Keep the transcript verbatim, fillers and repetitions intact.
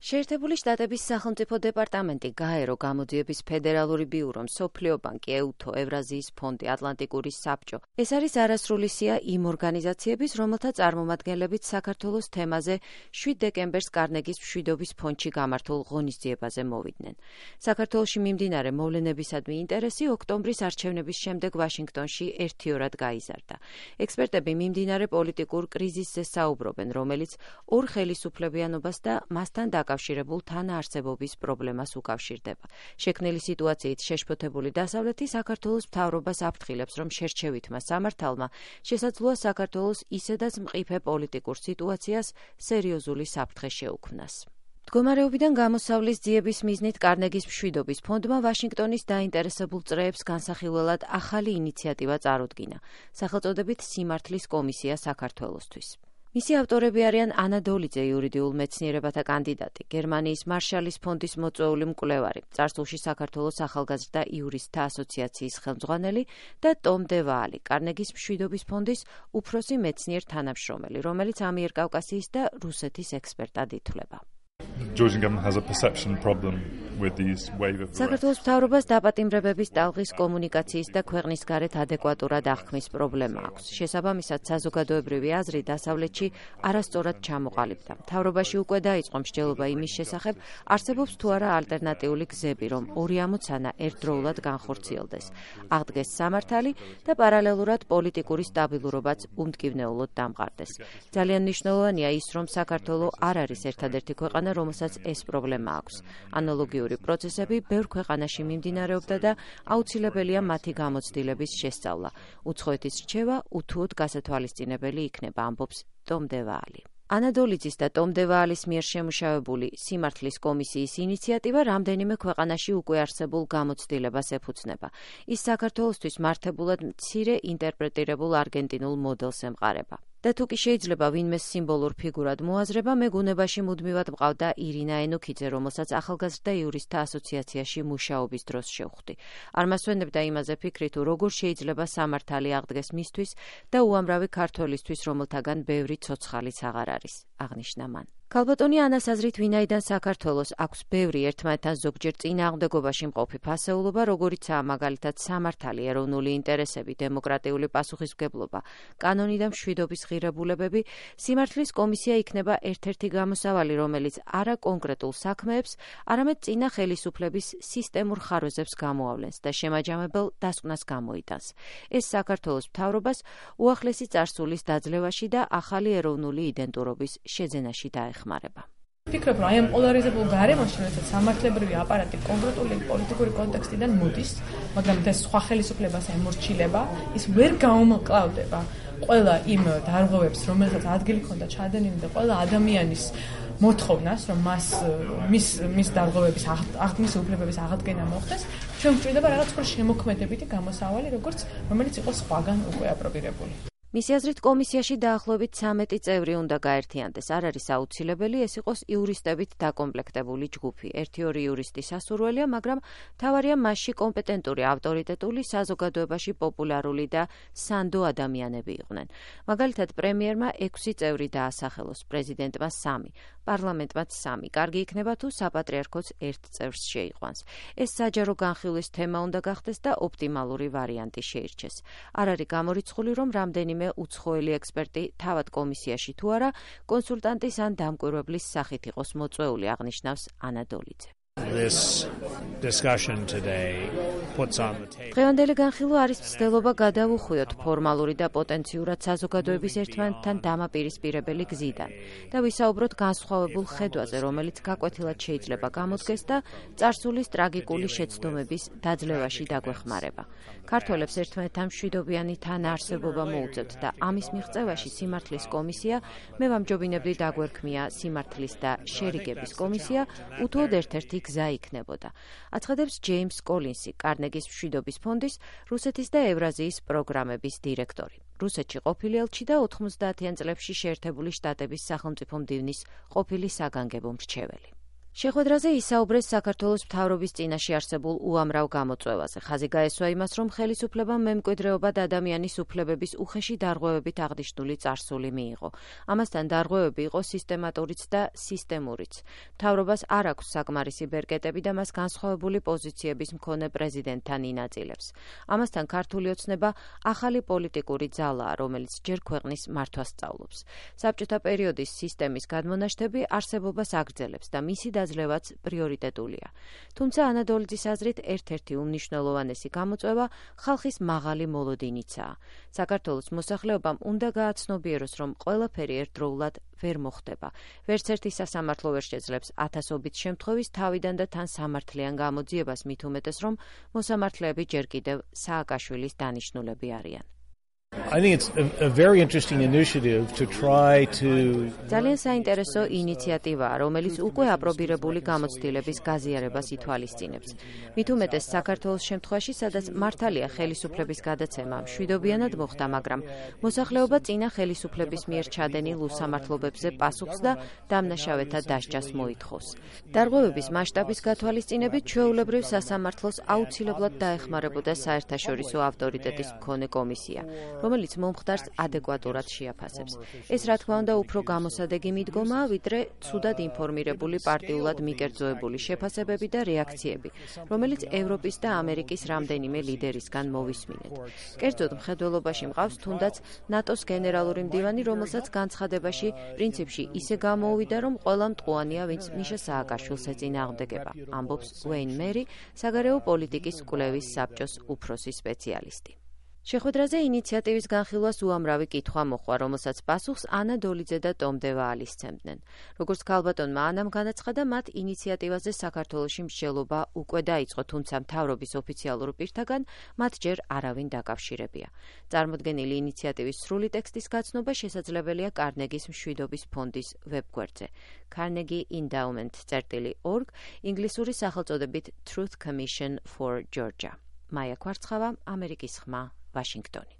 შეერთებული შტატების სახელმწიფო დეპარტამენტი, გაერო, გამოძიების ფედერალური ბიურო, მსოფლიო ბანკი, ეუთო, ევრაზიის ფონდი, ატლანტიკური საბჭო. ეს არის არასრული სია იმ ორგანიზაციების, რომელთა წარმომადგენლებიც საქართველოს თემაზე შვიდ დეკემბერს კარნეგის მშვიდობის ფონდში გამართულ ღონისძიებაზე მოვიდნენ. საქართველოში მიმდინარე მოვლენებისადმი ინტერესი ოქტომბრის არჩევნების შემდეგ ვაშინგტონში ერთიორად გაიზარდა. ექსპერტები მიმდინარე პოლიტიკურ კრიზისზე საუბრობენ, რომელიც ორ ხელისუფლებიანობას და მასთან დაკავშირებულ თანაარსებობის პრობლემას უკავშირდება. შექმნილი სიტუაციით შეშფოთებული დასავლეთი საქართველოს მთავრობას აფრთხილებს, რომ შერჩევითმა სამართალმა შესაძლოა საქართველოს ისედაც მყიფე პოლიტიკურ სიტუაციას სერიოზული საფრთხე შეუქმნას. მდგომარეობიდან გამოსავლის ძიების მიზნით კარნეგის მშვიდობის ფონდმა ვაშინგტონის დაინტერესებულ წრეებს განსახილველად ახალი ინიციატივა წარუდგინა, სახელწოდებით სიმართლის კომისია საქართველოსთვის. მისი ავტორები არიან ანა დოლიძე, იურიდიულ მეცნიერებათა კანდიდატი, გერმანიის მარშალის ფონდის მოწვეული მკვლევარი, წარსულში საქართველოს ახალგაზრდა იურისტთა ასოციაციის ხელმძღვანელი და ტომ დევაალი, კარნეგის მშვიდობის ფონდის უფროსი მეცნიერ თანამშრომელი, რომელიც ამიერკავკასიის და რუსეთის ექსპერტად ითვლება. საქართველოს მთავრობას დაპატიმრებების ტალღის კომუნიკაციის და ქვეყნის გარეთ ადეკვატურად აღქმის პრობლემა აქვს. შესაბამისად, საზოგადოებრივი აზრი დასავლეთში არასწორად ჩამოყალიბდა. მთავრობაში უკვე დაიწყო მსჯელობა იმის შესახებ, არსებობს თუ არა ალტერნატიული გზები, რომ ორი ამოცანა ერთდროულად განხორციელდეს. აღდგეს სამართალი და პარალელურად პოლიტიკური სტაბილურობაც უმტკივნეულოდ დამყარდეს. ძალიან მნიშვნელოვანია ის, რომ საქართველო არ არის ერთადერთი ქვეყანა, რომელსაც ეს პრობლემა აქვს. ანალოგიური პროცესები ბევრ ქვეყანაში მიმდინარეობდა და აუცილებელია მათი გამოცდილების შესწავლა. უცხოეთის რჩევა უთუოდ გასათვალისწინებელი იქნება, ამბობს ტომ დევაალი. ანა დოლიძის და ტომ დევაალის მიერ შემუშავებული სიმართლის კომისიის ინიციატივა რამდენიმე ქვეყანაში უკვე არსებულ გამოცდილებას ეფუძნება. ის საქართველოსთვის მართებულად მცირე ინტერპრეტირებულ არგენტინულ მოდელს ემყარება. და თუ კი შეიძლება ვინმეს სიმბოლურ ფიგურად მოაზრება, მე გუნებაში მუდმივად მყავდა ირინა ენოქიძე, რომელსაც ახალგაზრდა იურისტთა ასოციაციაში მუშაობის დროს შევხვდი. არ მასვენებდა იმაზე ფიქრი, თუ როგორ შეიძლება სამართალი აღდგეს მისთვის და უამრავი ქართველისთვის, რომელთაგან ბევრი ცოცხალიც აღარ არის, აღნიშნა მან. ქალბატონი ანას აზრით, ვინაიდან საქართველოს აქვს ბევრი ერთმანეთთან ზოგჯერ წინააღმდეგობაში მყოფი ფასეულობა, როგორიცაა მაგალითად სამართალი, ეროვნული ინტერესები, დემოკრატიული პასუხისმგებლობა, კანონი და მშვიდობის ღირებულებები, სიმართლის კომისია იქნება ერთ-ერთი გამოსავალი, რომელიც არა კონკრეტულ საქმეებს, არამედ წინა ხელისუფლების სისტემურ ხარვეზებს გამოავლენს და შემაჯამებელ დასკვნას გამოიტანს. ეს საქართველოს მთავრობას უახლესი წარსულის დაძლევაში და ახალი ეროვნული იდენტურობის შეძენაში დაეხმარება. ვფიქრობ, რომ აი ამ პოლარიზებულ გარემოში, როდესაც სამართლებრივი აპარატი კონკრეტული პოლიტიკური კონტექსტიდან მოდის, მაგრამ ეს სხვა ხელისუფლებას ემორჩილება, ის ვერ გაუმკლავდება ყველა იმ დარღვევებს, რომელსაც ადგილი ჰქონდა ჩადენილი და ყველა ადამიანის მოთხოვნას, რომ მას მის მის დარღვევების აღქმის უფლებების აღდგენა მოხდეს, ჩვენ გვჭირდება რაღაც უფრო შემოქმედებითი გამოსავალი, როგორც რომელიც იყოს სხვაგან უკვე აპრობირებული. მისი აზრით, კომისიაში დაახლოებით ცამეტი წევრი უნდა გაერთიანდეს. არ არის აუცილებელი ეს იყოს იურისტებით დაკომპლექტებული ჯგუფი. ერთი-ორი იურისტი სასურველია, მაგრამ მთავარია მასში კომპეტენტური, ავტორიტეტული, საზოგადოებაში პოპულარული და სანდო ადამიანები იყვნენ. მაგალითად, პრემიერმა ექვსი წევრი დაასახელოს, პრეზიდენტმა სამი, პარლამენტმაც სამი. კარგი იქნება თუ საპატრიარქოც ერთ წევრს შეიყვანს. ეს საჯარო განხილვის თემა უნდა გახდეს და ოპტიმალური ვარიანტი შეირჩეს. არ არის გამორიცხული, რომ რამდენიმე უცხოელი ექსპერტი თავად კომისიაში თუ არა, კონსულტანტის ან დამკვირვებლის სახით იყოს მოწვეული, აღნიშნავს ანა დოლიძე. დღევანდელი განხილვა არის მცდელობა გადავუხვიოთ ფორმალური და პოტენციურად საზოგადოების ერთმანეთთან დამაპირისპირებელი გზიდან და ვისაუბროთ განსხვავებულ ხედვაზე, რომელიც გაკვეთილად შეიძლება გამოდგეს და წარსულის ტრაგიკული შეცდომების დაძლევაში დაგვეხმარება. ქართველებს ერთმანეთთან მშვიდობიანი თანაარსებობა მოუწევთ და ამის მიღწევაში სიმართლის კომისია, მე ვამჯობინებდი დაგვერქმია სიმართლის და შერიგების კომისია, უთუოდ ერთ-ერთი გზა იქნებოდა. აცხადებს ჯეიმს კოლინსი, კარნეგის მშვიდობის ფონდის რუსეთის და ევრაზიის პროგრამების დირექტორი. რუსეთში ყოფილი ელჩი და ოთხმოცდაათიან წლებში შეერთებული შტატების სახელმწიფო მდივნის ყოფილი საგანგებო მრჩეველი. შეხვედრაზე ისაუბრეს საქართველოს მთავრობის წინაშე არსებულ უამრავ გამოწვევაზე. ხაზი გაესვა იმას, რომ ხელისუფლებამ მემკვიდრეობა და ადამიანის უფლებების უხეში დარღვევებით აღნიშნული წარსული მიიღო. ამასთან დარღვევები იყო სისტემატურიც და სისტემურიც. მთავრობას არ აქვს საკმარისი ბერკეტები და მას განსხვავებული პოზიციების მქონე პრეზიდენტთან ინაწილებს. ამასთან ქართული ოცნება ახალი პოლიტიკური ძალაა, რომელიც ჯერ ქვეყნის მართვას სწავლობს. საბჭოთა პერიოდის სისტემის გადმონაშთები არსებობას აგრძელებს და მისი ძლევაც პრიორიტეტულია. თუმცა ანადოლიძის აზრით ერთ-ერთი უმნიშვნელოვანესი გამოწვევა ხალხის მაღალი მოლოდინიცაა. საქართველოს მოსახლეობამ უნდა გააცნობიეროს, რომ ყველაფერი ერთდროულად ვერ მოხდება. ვერც ერთი სასამართლო ვერ შეძლებს ათასობით შემთხვევის თავიდან და თან სამართლიან გამოძიებას, მით უმეტეს, რომ მოსამართლეები ჯერ კიდევ სააკაშვილის დანიშნულები არიან. I think it's a, a very interesting initiative to try to ძალიან საინტერესო ინიციატივაა, რომელიც უკვე აპრობირებული გამოცდილების გაზიარებას ითვალისწინებს. მით უმეტეს საქართველოს შემთხვევაში, სადაც მართალია ხელისუფლების გადაცემა მშვიდობიანად მოხდა, მაგრამ მოსახლეობა წინა ხელისუფლების მიერ ჩადენილ უსამართლობებზე პასუხს და დამნაშავეთა დასჯას მოითხოვს. დარღვევების მასშტაბის გათვალისწინებით ჩვეულებრივ სასამართლოს აუცილებლად დაეხმარებოდა საერთაშორისო ავტორიტეტის მქონე კომისია, რომელიც მომხდარს ადეკვატურად შეაფასებს. ეს რა თქმა უნდა უფრო გამოსადეგი მიდგომაა, ვიდრე ცუდად ინფორმირებული პარტიულად მიკერძოებული შეფასებები და რეაქციები, რომელიც ევროპის და ამერიკის რამდენიმე ლიდერისგან მოვისმინეთ. კერძოდ მხედველობაში მყავს თუნდაც ნატოს გენერალური მდივანი, რომელსაც განცხადებაში პრინციპში ისე გამოუვიდა, რომ ყველა მტყუანია, ვინც მიშა სააკაშვილს ეწინააღმდეგება, ამბობს უეინ მერი, საგარეო პოლიტიკის კვლევის საბჭოს უფროსი სპეციალისტი. შეხვედრაზე ინიციატივის განხილვას უამრავი კითხვა მოჰყვა, რომელსაც პასუხს ანა დოლიძე და ტომ დევაალი სცემდნენ. როგორც ქალბატონმა ანამ განაცხადა, მათ ინიციატივაზე საქართველოში მსჯელობა უკვე დაიწყო, თუმცა მთავრობის ოფიციალურ პირთაგან მათ ჯერ არავინ დაკავშირებია. წარმოდგენილი ინიციატივის სრული ტექსტის გაცნობა შესაძლებელია კარნეგის მშვიდობის ფონდის ვებგვერდზე carnegie endowment dot org, ინგლისური სახელწოდებით Truth Commission for Georgia. მაია კვარცხავა, ამერიკის ხმა, ვაშინგტონი.